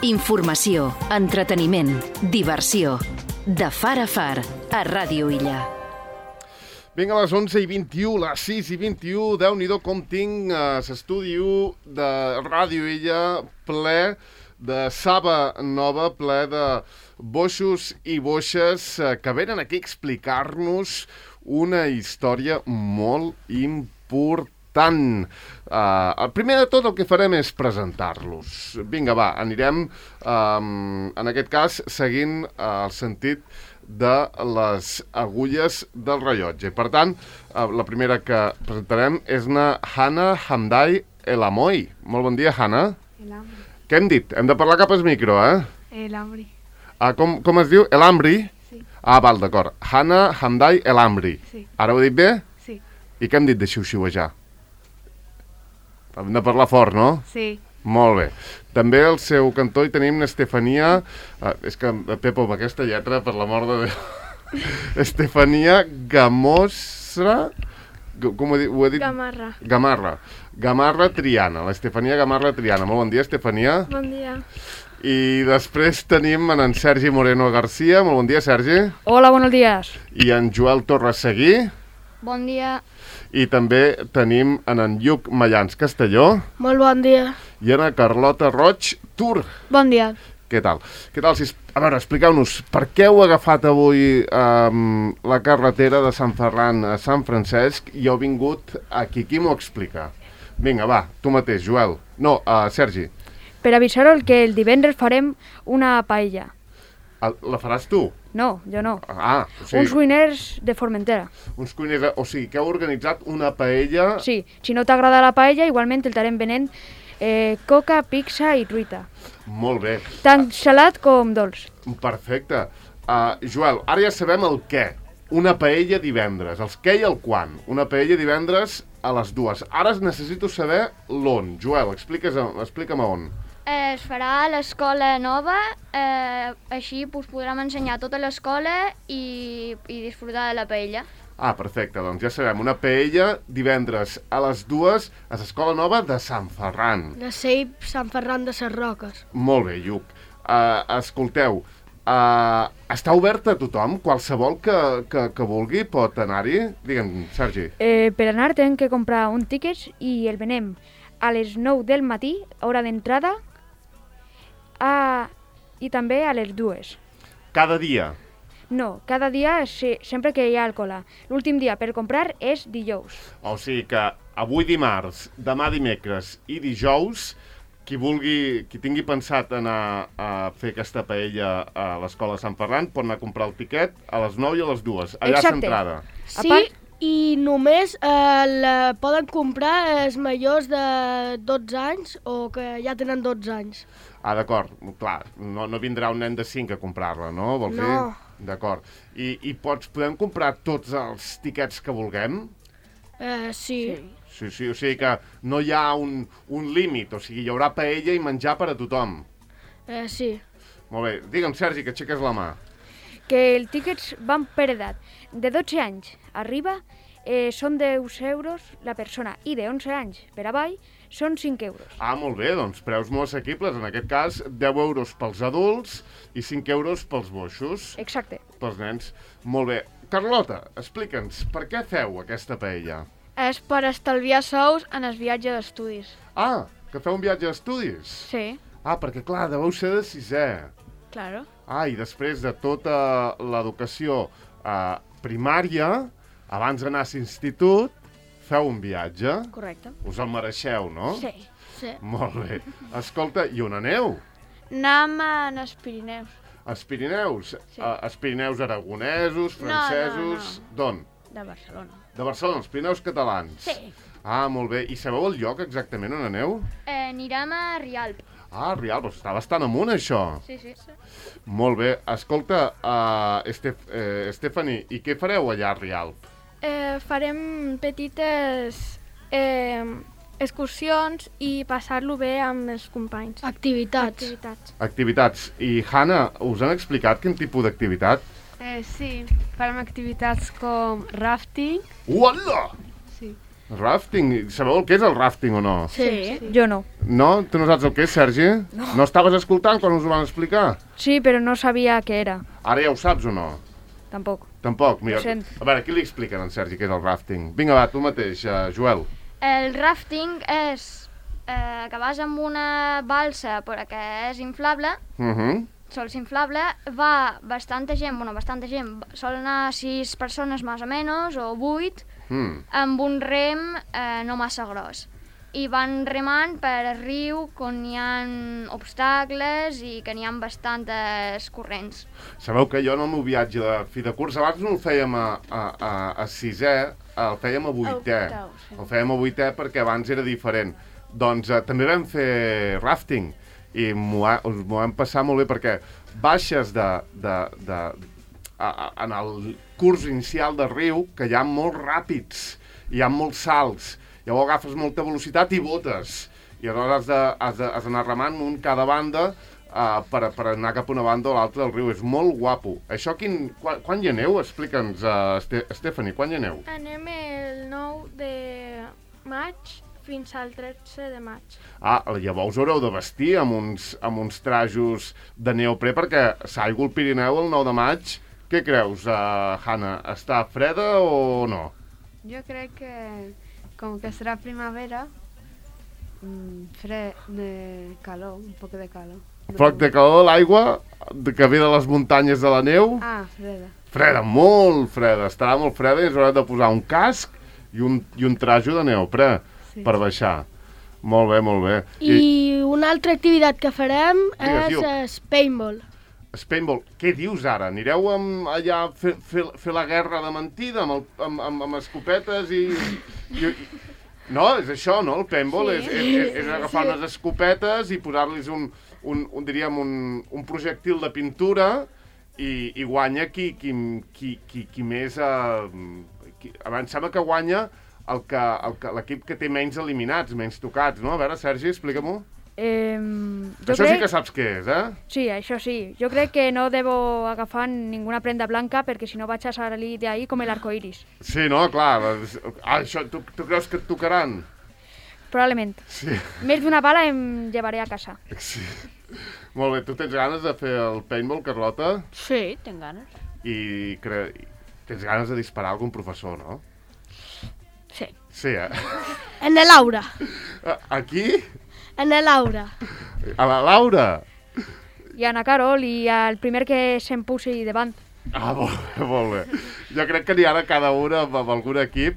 Informació, entreteniment, diversió. De far a far, a Ràdio Illa. Vinga, a les 11:21, les 6:21, Déu-n'hi-do com tinc l'estudi 1 de Ràdio Illa ple de saba nova, ple de boixos i boixes que venen aquí a explicar-nos una història molt important. Primer de tot el que farem és presentar-los. Vinga, va, anirem, en aquest cas, seguint el sentit de les agulles del rellotge. Per tant, la primera que presentarem és una Hana Hamdai Elamoy. Molt bon dia, Hana. Elambri. Què hem dit? Hem de parlar cap al micro, eh? Elambri. Com es diu? Elambri? Sí. Val, d'acord. Hana Hamdai Elambri. Sí. Ara ho he dit bé? Sí. I què hem dit de xiu-xiuejar? Hem de parlar fort, no? Sí. Molt bé. També al seu cantó hi tenim Estefania... és que, Pepo, amb aquesta lletra, per l'amor de Déu... Estefania Gamosra... Com ho he dit? Gamarra. Gamarra Triana. L'Estefania Gamarra Triana. Molt bon dia, Estefania. Bon dia. I després tenim en Sergi Moreno García. Molt bon dia, Sergi. Hola, buenos días. I en Joel Torres Seguí. Bon dia. I també tenim en Lluc Mallans Castelló. Molt bon dia. I en Carlota Roig Tur. Bon dia. Què tal? A veure, expliqueu-nos, per què heu agafat avui la carretera de Sant Ferran a Sant Francesc i heu vingut aquí? Qui m'ho explica? Vinga, va, tu mateix, Joel. No, Sergi. Per avisar-vos que el divendres farem una paella. La faràs tu? No, jo no. O sigui, Uns cuiners de Formentera. uns cuiners, o sigui, que heu organitzat una paella... Sí, si no t'agrada la paella, igualment el estarem venent coca, pizza i truita. Molt bé. Tant salat com dolç. Perfecte. Joel, ara ja sabem el què. Una paella divendres. Els què i el quan. Una paella divendres a les 2. Ara necessito saber l'on. Joel, explica'm on. Es farà a l'escola nova, així podrem ensenyar tota l'escola i disfrutar de la paella. Perfecte, doncs ja sabem, una paella divendres a les 2 a l'escola nova de Sant Ferran. De CEIP Sant Ferran de ses Roques. Molt bé, Lluc. Escolteu, està oberta a tothom? Qualsevol que vulgui pot anar-hi? Digue'm, Sergi. Per anar tenen que comprar un tiquet i el venem a les 9 del matí, hora d'entrada, i també a les 2. Cada dia? No, cada dia sempre que hi ha alcohol. L'últim dia per comprar és dijous. O sigui que avui dimarts, demà dimecres i dijous, qui tingui pensat anar a fer aquesta paella a l'escola de Sant Ferran pot anar a comprar el tiquet a les 9 i a les 2, allà a l'entrada. Sí, i només la poden comprar els majors de 12 anys o que ja tenen 12 anys. D'acord, clar, no vindrà un nen de 5 a comprar-la, no? Vols dir? No. D'acord. I podem comprar tots els tiquets que vulguem? Sí. Sí, o sigui que no hi ha un límit, o sigui, hi haurà paella i menjar per a tothom. Sí. Molt bé. Digue'm, Sergi, que aixeques la mà. Que els tiquets van per edat. De 12 anys arriba són 10 euros la persona i de 11 anys per avall són 5 euros. Molt bé, doncs preus molt assequibles. En aquest cas, 10 euros pels adults i 5 euros pels boixos. Exacte. Pels nens. Molt bé. Carlota, explica'ns, per què feu aquesta paella? És per estalviar sous en el viatge d'estudis. Que feu un viatge d'estudis? Sí. Perquè clar, deveu ser de 6è. Claro. I després de tota l'educació primària, abans d'anar a l'institut, feu un viatge. Correcte. Us el mereixeu, no? Sí. Molt bé. Escolta, i on aneu? Anem als Pirineus. Els Pirineus? Sí. Els Pirineus aragonesos, francesos... No. D'on? De Barcelona. De Barcelona, els Pirineus catalans. Sí. Molt bé. I sabeu el lloc exactament on aneu? Anirem a Rialp. Rialp, està bastant amunt, això. Sí. Molt bé. Escolta, Stephanie, i què fareu allà a Rialp? Farem petites excursions i passar-lo bé amb els companys. Activitats. I, Hana, us han explicat quin tipus d'activitat? Sí, farem activitats com rafting. Uala! Sí. Rafting. Sabeu el que és el rafting o no? Sí. Jo no. No? Tu no saps el que és, Sergi? No estaves escoltant quan us ho van explicar? Sí, però no sabia què era. Ara ja ho saps o no? Tampoc. Tampoc? Mira, Ho sent. a veure, qui li expliquen a en Sergi què és el rafting? Vinga, va, tu mateix, Joel. El rafting és que vas amb una balsa però que és inflable, sols inflable, va bastanta gent, sol anar 6 persones més o menys, o 8, amb un rem no massa gros. I van remant per el riu on hi ha obstacles i que n'hi ha bastantes corrents. Sabeu que jo en el meu viatge de fi de curs, abans no el fèiem a sisè, el fèiem a vuitè. El fèiem a vuitè perquè abans era diferent. Doncs també vam fer rafting i m'ho vam passar molt bé perquè baixes en el curs inicial del riu, que hi ha molt ràpids, hi ha molts salts, llavors agafes molta velocitat i botes, i aleshores has d'anar remant un cada banda per anar cap a una banda o l'altra del riu. És molt guapo. Això quan hi aneu? Explica'ns, Stephanie, quan hi aneu? Anem el 9 de maig fins al 13 de maig. Llavors haureu de vestir amb uns trajos de neoprè perquè s'aigua al Pirineu el 9 de maig. Què creus, Hanna? Està freda o no? Jo crec que, com que serà primavera, fred de calor, un poc de calor. Poc de calor, l'aigua que ve de les muntanyes de la neu? Freda. Freda, molt freda. Estarà molt freda i ens haurem de posar un casc i un trajo de neoprè per baixar. Molt bé, molt bé. I una altra activitat que farem és paintball. Paintball, què dius ara? Anireu allà a fer la guerra de mentida amb escopetes i... No, és això, no? El paintball és agafar unes escopetes i posar-los un projectil de pintura i guanya qui més... Em sembla que guanya l'equip que té menys eliminats, menys tocats, no? A veure, Sergi, explica-m'ho. Això sí que saps què és, eh? Sí, això sí. Jo crec que no debo agafar ninguna prenda blanca perquè si no vaig a salir d'ahí com l'arcoiris. Sí, no? Clar. Això, tu creus que et tocaran? Probablement. Sí. Més d'una bala em llevaré a casa. Sí. Molt bé. Tu tens ganes de fer el paintball, Carlota? Sí, tinc ganes. I tens ganes de disparar a algun professor, no? Sí. Sí, eh? En la Laura. Aquí? En la Laura. A la Laura? I a Ana Carol i al primer que se'm posi davant. Molt bé. Jo crec que n'hi ha cada una amb algun equip.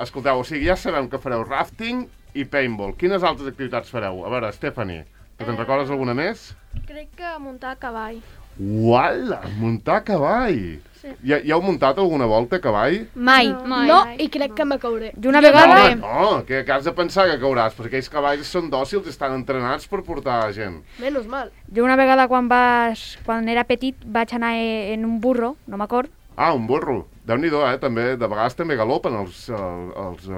Escolteu, o sigui, ja sabem que fareu rafting i paintball. Quines altres activitats fareu? A veure, Stephanie, te'n recordes alguna més? Crec que muntar a cavall. Uala, muntar a cavall! Sí. Ja heu muntat alguna volta a cavall? Mai. No, i crec que me cauré. I una vegada... No, que has de pensar que cauràs, perquè aquells cavalls són dòcils i estan entrenats per portar gent. Menys mal. Jo una vegada quan era petit vaig anar en un burro, no m'acord. Un burro. Déu-n'hi-do, també. De vegades també galopen els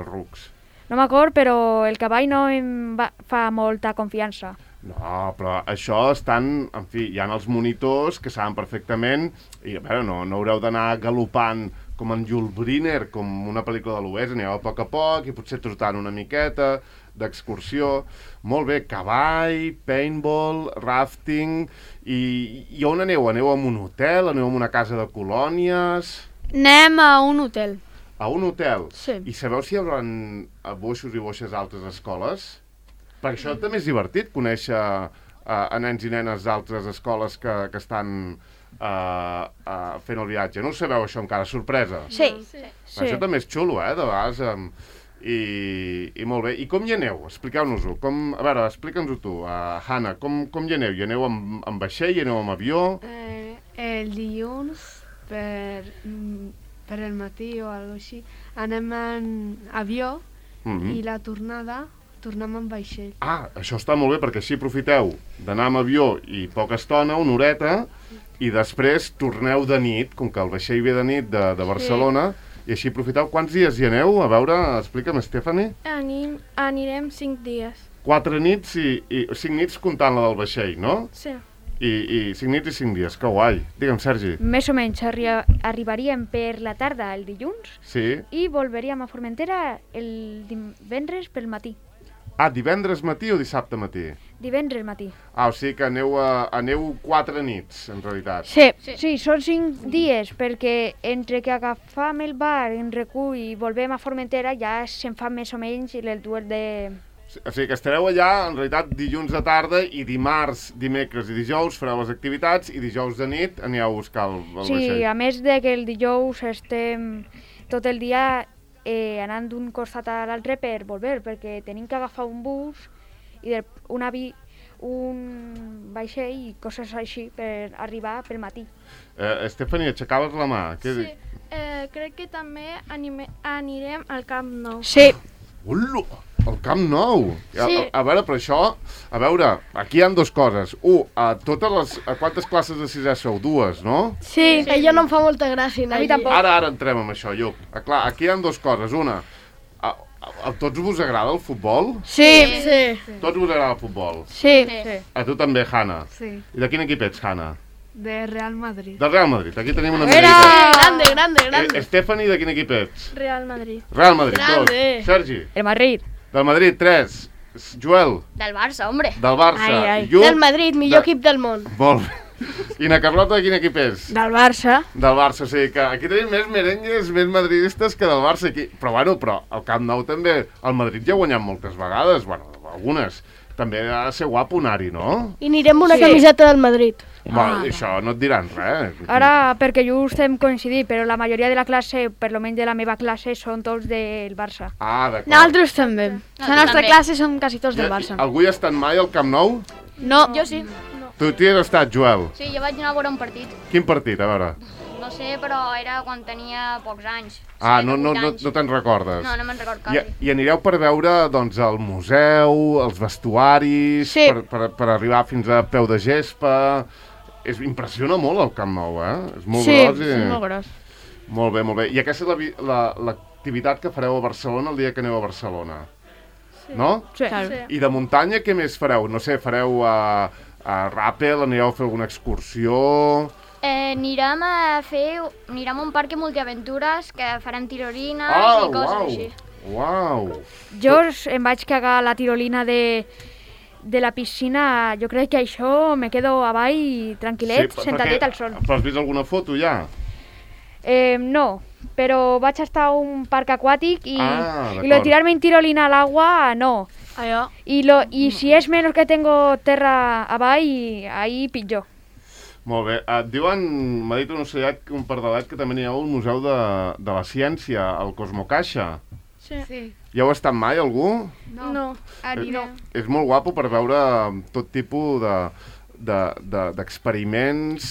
rucs. No m'acord, però el cavall no em fa molta confiança. No, però això estan... En fi, hi ha els monitors que saben perfectament i, a veure, no haureu d'anar galopant com en Jules Briner, com una pel·lícula de l'Oest, aneu a poc i potser trotant una miqueta d'excursió. Molt bé, cavall, paintball, rafting... I on aneu? Aneu a un hotel? Aneu a una casa de colònies? Anem a un hotel. A un hotel? Sí. I sabeu si hi haurà boixos i boixes d'altres escoles? Perquè això també és divertit, conèixer a nens i nenes d'altres escoles que estan fent el viatge. No ho sabeu, això encara? Sorpresa? Sí. Això també és xulo, de vegades. I molt bé. I com hi aneu? Expliqueu-nos-ho. A veure, explica'ns-ho tu. Hanna, com hi aneu? Hi aneu amb vaixell? Hi aneu amb avió? El dilluns, per el matí o alguna cosa així, anem en avió i la tornada tornem amb vaixell. Això està molt bé, perquè així aprofiteu d'anar amb avió i poca estona, una horeta, i després torneu de nit, com que el vaixell ve de nit de Barcelona, i així aprofiteu. Quants dies hi aneu? A veure, explica'm, Stephanie. Anirem 5 dies. 4 nits i 5 nits comptant la del vaixell, no? Sí. I 5 nits i 5 dies, que guai. Digue'm, Sergi. Més o menys arribaríem per la tarda el dilluns Sí. i volveríem a Formentera el divendres pel matí. Ah, divendres matí o dissabte matí? Divendres matí. Ah, o sigui que aneu 4 nits, en realitat. Sí. Sí, són 5 dies, perquè entre que agafam el bar en recull i volvem a Formentera ja se'n fa més o menys el duel de... O sigui que estareu allà, en realitat, dilluns de tarda i dimarts, dimecres i dijous fareu les activitats i dijous de nit anireu a buscar el vaixell. Sí, a més de que el dijous estem tot el dia anant d'un costat a l'altre per volver, perquè tenim que agafar un bus i un vaixell i coses així per arribar pel matí. Estefania, aixecaves la mà. Sí, crec que també anirem al Camp Nou. Sí. Ula, el Camp Nou! Sí. A veure, però això... A veure, aquí hi ha dues coses. A quantes classes de sisè sou? 2, no? Sí. A jo no em fa molta gràcia anar A mi allí. tampoc. Ara entrem amb això, Lluc. Clar, aquí hi ha dues coses. Una, a tots vos agrada el futbol? Sí. Sí. Tots vos agrada el futbol? Sí. A tu també, Hanna. Sí, I de quin equip ets, Hanna? de Real Madrid. Del Real Madrid. Aquí tenim una Era mica. grande. Stephanie, de quin equip ets? Real Madrid. Real Madrid, Grande. 2. Sergi, El Madrid. del Madrid, 3. Joel, Del Barça, hombre. del Barça. Ai. Lluc, Del Madrid, millor equip del món. Molt bé. I na Carlota, de quin equip és? Del Barça. Del Barça, o sigui que aquí tenim més merengues, més madridistes que del Barça. Aquí. Però al Camp Nou també, el Madrid ja ha guanyat moltes vegades, bueno, algunes. També ha de ser guapo anar-hi, no? I anirem amb una Sí. camiseta del Madrid. Això no et diran res. Ara, perquè just hem coincidit, però la majoria de la classe, per lo menys de la meva classe, són tots del Barça. Ah, d'acord. Nosaltres també. La nostra també. classe som quasi tots del Barça. Algú hi ha estat mai al Camp Nou? No, Jo sí. Tu hi has estat, Joel? Sí, jo vaig anar a veure un partit. Quin partit, a veure? No sé, però era quan tenia pocs anys. Ah, 7 no, o no, 8 no, anys. no te'n recordes? No, no me'n record I, quasi. I anireu per veure, doncs, el museu, els vestuaris, Sí. per arribar fins a peu de gespa... Impressiona molt el Camp Nou, És molt Sí, gros i... és molt gros. Molt bé, molt bé. I aquesta és l'activitat que fareu a Barcelona el dia que aneu a Barcelona, no? Sí. I de muntanya què més fareu? No sé, fareu a ràpel, anireu a fer alguna excursió... Anirem a un parc multiaventures que farem tirolines i coses així. Uau! Jo em vaig cagar a la tirolina de la piscina. Jo crec que això me quedo avall tranquil·let, sentadet al sol. Però has vist alguna foto ja? No, però vaig estar a un parc aquàtic i d'acord. lo de tirarme en tirolina al agua, no. Allò. Y si es menos que tengo terra avall, ahí pitjor. Molt bé. Et diuen, m'ha dit un ocellet, un pardalet, que també n'hi ha al Museu de la Ciència, al Cosmocaixa. Sí. Hi heu estat mai, algú? No. Anirem. És molt guapo per veure tot tipus d'experiments,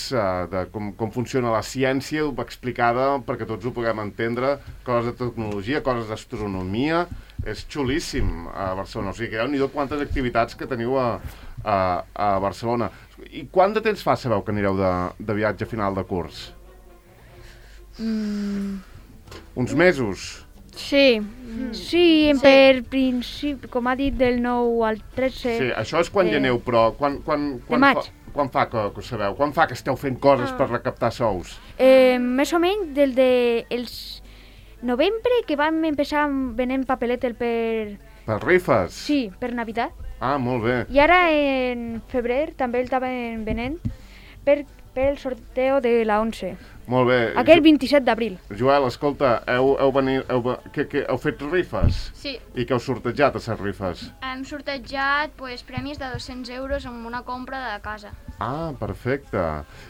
de com funciona la ciència explicada perquè tots ho puguem entendre, coses de tecnologia, coses d'astronomia. És xulíssim a Barcelona. O sigui que déu-n'hi-do quantes activitats que teniu a Barcelona. I quant de temps fa, sabeu, que anireu de viatge a final de curs? Uns mesos? Sí. Sí, per principi, com ha dit, del 9 al 13. Sí, això és quan hi aneu, però quan maig. quan fa que ho sabeu? Quan fa que esteu fent coses per recaptar sous? Més o menys del de els novembre, que vam empezar venent papeletes per... Per rifes? Sí, per Navidad. Ah, molt bé. I ara en febrer també el estaven venent pel sorteo de la 11. Molt bé. Aquell 27 d'abril. Joel, escolta, heu fet rifes? Sí, I què heu sortejat a les rifes? hem sortejat premis de 200 euros amb una compra de casa. Ah, perfecte.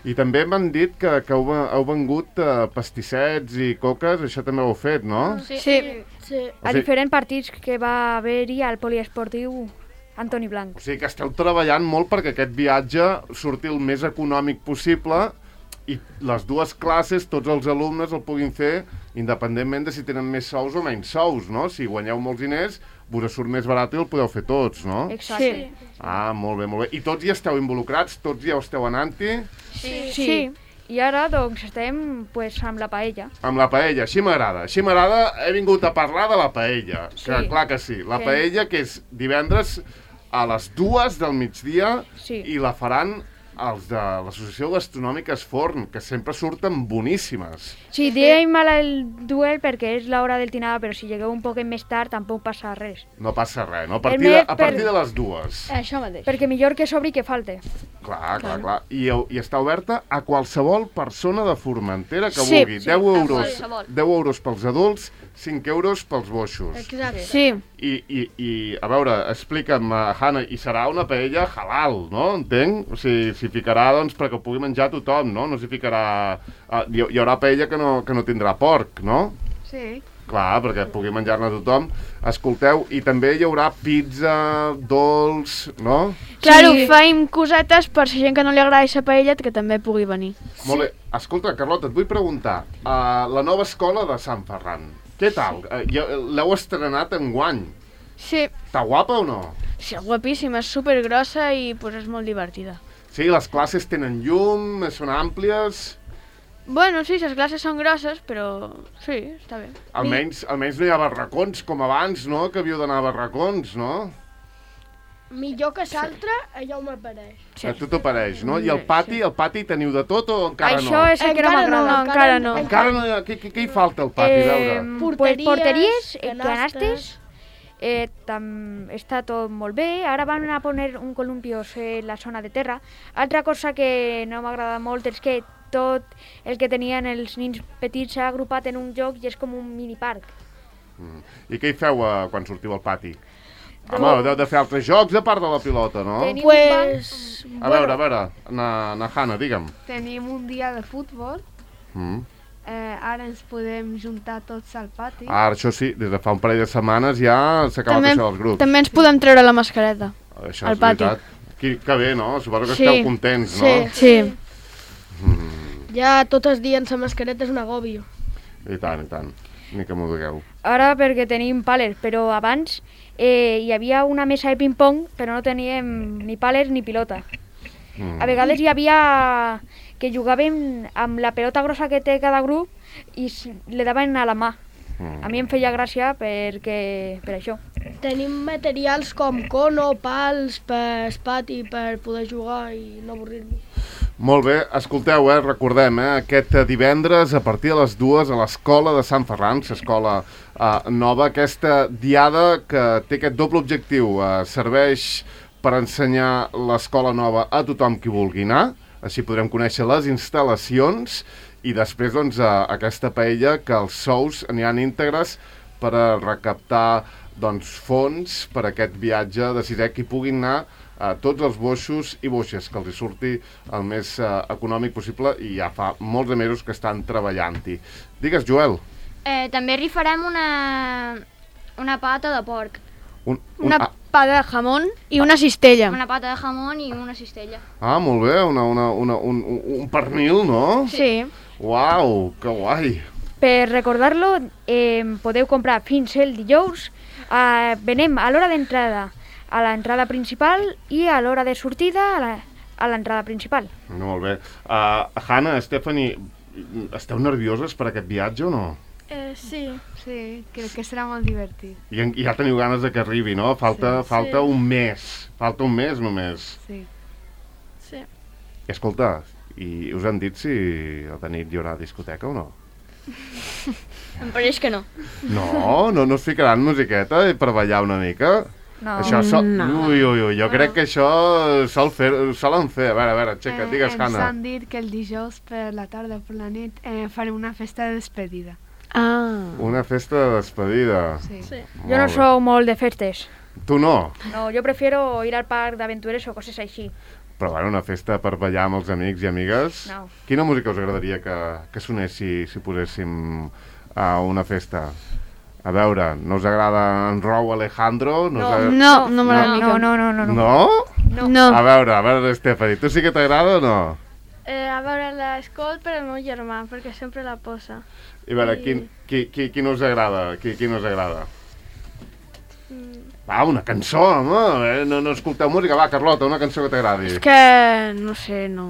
I també m'han dit que heu vengut pastissets i coques, això també ho heu fet, no? Sí. Sí. A diferents partits que va haver-hi al poliesportiu Antoni Blanc. O sigui que esteu treballant molt perquè aquest viatge surti el més econòmic possible i les dues classes, tots els alumnes el puguin fer independentment de si tenen més sous o menys sous, no? Si guanyeu molts diners, vos surt més barat i el podeu fer tots, no? Exacte. Ah, molt bé, molt bé. I tots hi esteu involucrats? Tots hi esteu anant-hi? Sí. I ara, doncs, estem amb la paella. Amb la paella, així m'agrada. Així m'agrada, he vingut a parlar de la paella. Sí. Que, clar que sí. La Sí. paella, que és divendres a les 2 del migdia Sí. i la faran els de l'Associació Gastronòmica Esforn, que sempre surten boníssimes. Sí, diem mal el duel perquè és l'hora del dinar, però si llegueu un poc més tard tampoc passa res. No passa res, no? A El partir de les 2. Això mateix. Perquè millor que sobri que falte. Clar. I està oberta a qualsevol persona de Formentera que Sí. vulgui. 10 euros, qualsevol. 10 euros pels adults, 5 euros pels boixos. Exacte. Sí, I a veure, explica'm, Hanna, i serà una paella halal, no? Entenc? O sigui, s'hi ficarà, doncs, perquè ho pugui menjar tothom, no? No s'hi ficarà... Hi haurà paella que no tindrà porc, no? Sí. Clar, perquè pugui menjar-ne tothom. Escolteu, i també hi haurà pizza, dolç, no? claro, faim cosetes per si gent que no li agrada aquesta paella que també pugui venir. Molt bé. Escolta, Carlota, et vull preguntar. La nova escola de Sant Ferran, què tal? L'heu estrenat enguany. Sí, Està guapa o no? sí, guapíssima, és supergrossa i pues, és molt divertida. Sí, les classes tenen llum, són àmplies... Bueno, sí, les classes són grosses, però sí, està bé. Almenys no hi ha barracons com abans, no? Que havíeu d'anar a barracons, no? Millor que l'altre, allò m'apareix. Sí. A tu t'apareix, no? I el pati teniu de tot o encara Això no? és el que no m'agrada. encara no. Encara no hi ha... Què hi falta al pati, a veure? Porteries, canastes. Està tot molt bé. Ara van a poner un columpios en la zona de terra. Altra cosa que no m'agrada molt és que tot el que tenien els nins petits s'ha agrupat en un lloc i és com un miniparc. I què hi feu quan sortiu al pati? Home, heu de fer altres jocs a part de la pilota, no? Tenim Pues... A veure, na Hanna, digue'm. Tenim un dia de futbol. Ara ens podem juntar tots al pati. Ara, això sí, des de fa un parell de setmanes ja s'ha acabat això dels grups. També ens podem treure la mascareta. Això al és pati. veritat. Que bé, no? Suposo que Sí. esteu contents, no? Sí. Ja tot el dia amb la mascareta és un agòbio. I tant. Ni que m'ho digueu. Ara perquè tenim pàlers, però abans hi havia una mesa de ping-pong, però no teníem ni pàlers ni pilota. A vegades hi havia que jugàvem amb la pelota grossa que té cada grup i le daven a la mà. A mi em feia gràcia per això. Tenim materials com cono, pals, per pati, per poder jugar i no avorrir-nos. Molt bé, escolteu, recordem, aquest divendres a partir de les 2 a l'escola de Sant Ferran, l'escola nova, aquesta diada que té aquest doble objectiu, serveix per ensenyar l'escola nova a tothom qui vulgui anar, així podrem conèixer les instal·lacions i després doncs, aquesta paella que els sous aniran íntegres per a recaptar doncs, fons per a aquest viatge de sisè que hi puguin anar tots els boixos i boixes, que els hi surti el més econòmic possible i ja fa molts de mesos que estan treballant-hi. Digues, Joel. També rifarem una pata de porc. Una pata de jamón i una cistella. Una pata de jamón i una cistella. Ah, molt bé, un pernil, no? Sí. Uau, que guai. Per recordar-lo, podeu comprar fins el dijous. Venem a l'hora d'entrada a l'entrada principal i a l'hora de sortida a l'entrada principal. Molt bé. Hanna, Stephanie, esteu nervioses per aquest viatge o no? Sí. Sí, crec que serà molt divertit. I ja teniu ganes de que arribi, no? Falta un mes. Falta un mes només. Sí. I escolta, i us han dit si a la nit hi haurà discoteca o no? Em pareix que no. No es ficaran musiqueta per ballar una mica? No. Això jo crec que això solen fer. A veure, Txeca, digues, Ens Hanna. han dit que el dijous per la tarda o per la nit farem una festa de despedida. Una festa de despedida. Sí. Jo no sóc molt de festes. Tu no? No, jo prefiero ir al parc d'aventures o coses així. Però bueno, una festa per ballar amb els amics i amigues. No. Quina música us agradaria que sonés si poséssim a una festa? A veure, no us agrada en Rauw Alejandro? No m'agrada mica. No? No. A veure, Stephanie, tu sí que t'agrada o no? A veure, l'escolt per al meu germà, perquè sempre la posa. I a veure, quin us agrada? Quin us agrada? Va, una cançó, home! No escolteu música. Va, Carlota, una cançó que t'agradi. És que, no sé, no...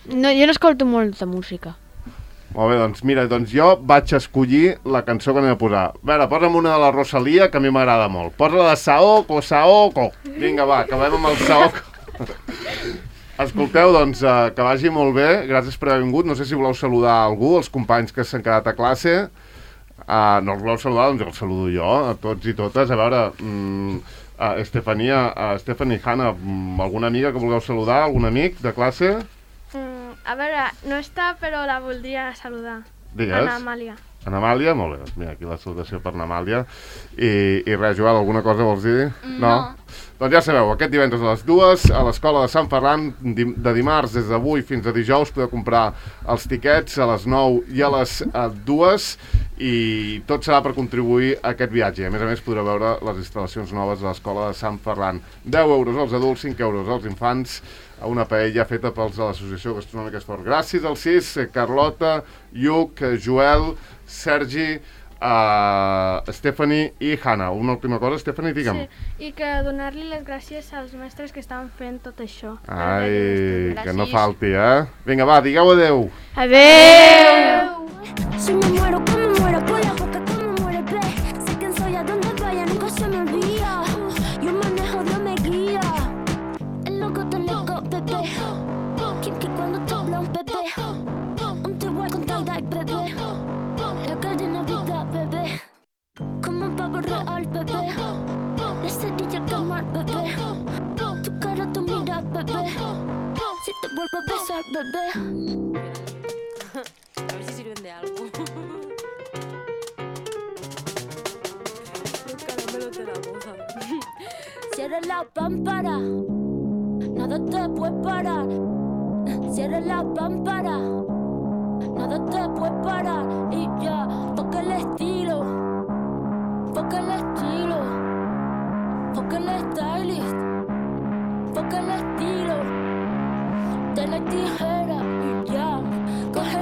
Jo no escolto molta música. Molt bé, doncs jo vaig escollir la cançó que anem a posar. A veure, posa'm una de la Rosalia, que a mi m'agrada molt. Posa-la de Saoko. Vinga, va, acabem amb el Saoko. Escolteu, doncs, que vagi molt bé. Gràcies per haver vingut. No sé si voleu saludar algú, els companys que s'han quedat a classe. No els voleu saludar, doncs els saludo jo, a tots i totes. A veure, Stephanie, Hanna, alguna amiga que vulgueu saludar? Algun amic de classe? A veure, no està, però la voldria saludar. Digues. Ana Amàlia. Ana Amàlia? Molt bé, mira, aquí la salutació per Ana Amàlia. I res, Joel, alguna cosa vols dir? No? Doncs ja sabeu, aquest divendres a les 2 a l'Escola de Sant Ferran, de dimarts des d'avui fins a dijous, podeu comprar els tiquets a les 9 i a les 2 i tot serà per contribuir a aquest viatge. A més, podreu veure les instal·lacions noves de l'Escola de Sant Ferran. 10 euros als adults, 5 euros als infants, a una paella feta pels de l'Associació Gastronòmica Esport. Gràcies al CIS, Carlota, Lluc, Joel, Sergi, Stephanie i Hanna. Una última cosa, Stephanie, digue'm. Sí, i que donar-li les gràcies als mestres que estan fent tot això. Ai, que no falti, Vinga, va, digueu adeu. Adeu! Si me muero, que me muero por la boca, que me muero el pez. Sé quién soy, a donde vaya, nunca se me olvida. Yo manejo, Dios me guía. El loco te loco, bebé. Kim que cuando te habla un bebé. Un te voy con tie-dye, bebé. La cadena vida, bebé. Como un pavo real, bebé. La cerilla quemar, bebé. Tu cara, tu mira, bebé. Si te vuelvo a besar, bebé. A ver si sirven de algo. Los caramelos de la moza. Cierra la pámpara, nada te puede parar. Cierra la pámpara, nada te puede parar. Y ya, toca el estilo, toca el estilo, toca el stylist, toca el estilo de la tijera. Y ya, coge